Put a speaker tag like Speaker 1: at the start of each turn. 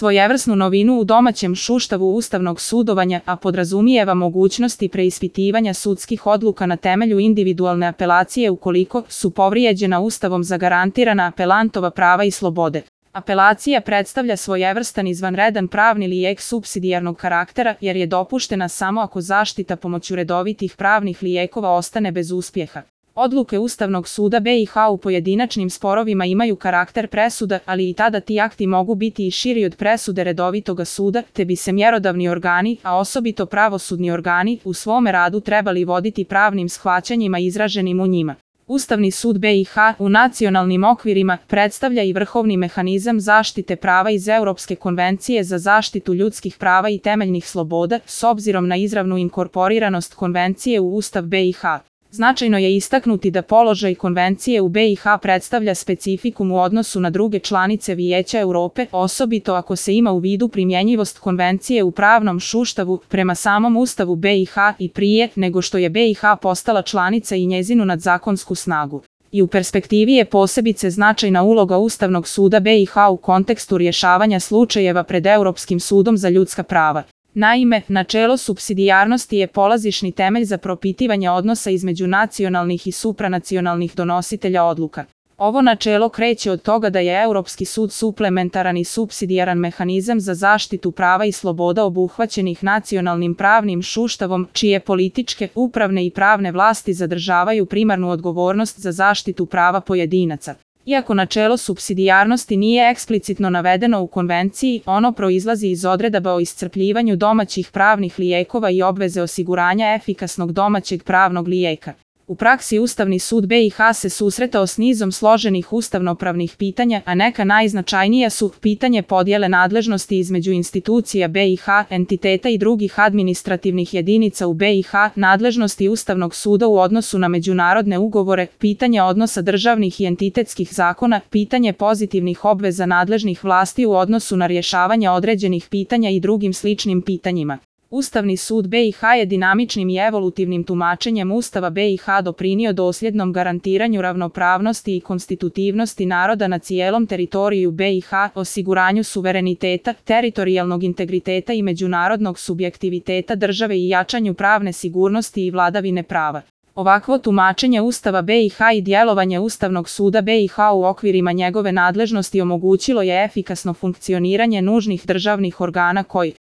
Speaker 1: svojevrsnu novinu u domaćem sustavu ustavnog sudovanja, a podrazumijeva mogućnosti preispitivanja sudskih odluka na temelju individualne apelacije ukoliko su povrijeđena Ustavom zagarantirana apelantova prava i slobode. Apelacija predstavlja svojevrstan izvanredan pravni lijek supsidijarnog karaktera jer je dopuštena samo ako zaštita pomoću redovitih pravnih lijekova ostane bez uspjeha. Odluke Ustavnog suda BiH u pojedinačnim sporovima imaju karakter presuda, ali i tada ti akti mogu biti i širi od presude redovitoga suda, te bi se mjerodavni organi, a osobito pravosudni organi, u svome radu trebali voditi pravnim shvaćanjima izraženim u njima. Ustavni sud BiH u nacionalnim okvirima predstavlja i vrhovni mehanizam zaštite prava iz Europske konvencije za zaštitu ljudskih prava i temeljnih sloboda, s obzirom na izravnu inkorporiranost konvencije u Ustav BiH. Značajno je istaknuti da položaj konvencije u BiH predstavlja specifikum u odnosu na druge članice Vijeća Europe, osobito ako se ima u vidu primjenjivost konvencije u pravnom sustavu prema samom Ustavu BiH i prije nego što je BiH postala članica i njezinu nadzakonsku snagu. I u perspektivi je posebice značajna uloga Ustavnog suda BiH u kontekstu rješavanja slučajeva pred Europskim sudom za ljudska prava. Naime, načelo supsidijarnosti je polazišni temelj za propitivanje odnosa između nacionalnih i supranacionalnih donositelja odluka. Ovo načelo kreće od toga da je Europski sud suplementaran i supsidijaran mehanizam za zaštitu prava i sloboda obuhvaćenih nacionalnim pravnim sustavom, čije političke, upravne i pravne vlasti zadržavaju primarnu odgovornost za zaštitu prava pojedinaca. Iako načelo supsidijarnosti nije eksplicitno navedeno u konvenciji, ono proizlazi iz odredaba o iscrpljivanju domaćih pravnih lijekova i obveze osiguranja efikasnog domaćeg pravnog lijeka. U praksi Ustavni sud BiH se susretao s nizom složenih ustavnopravnih pitanja, a neka najznačajnija su pitanje podjele nadležnosti između institucija BiH, entiteta i drugih administrativnih jedinica u BiH, nadležnosti Ustavnog suda u odnosu na međunarodne ugovore, pitanje odnosa državnih i entitetskih zakona, pitanje pozitivnih obveza nadležnih vlasti u odnosu na rješavanje određenih pitanja i drugim sličnim pitanjima. Ustavni sud BiH je dinamičnim i evolutivnim tumačenjem Ustava BiH doprinio dosljednom garantiranju ravnopravnosti i konstitutivnosti naroda na cijelom teritoriju BiH, osiguranju suvereniteta, teritorijalnog integriteta i međunarodnog subjektiviteta države i jačanju pravne sigurnosti i vladavine prava. Ovakvo tumačenje Ustava BiH i djelovanje Ustavnog suda BiH u okvirima njegove nadležnosti omogućilo je efikasno funkcioniranje nužnih državnih organa koji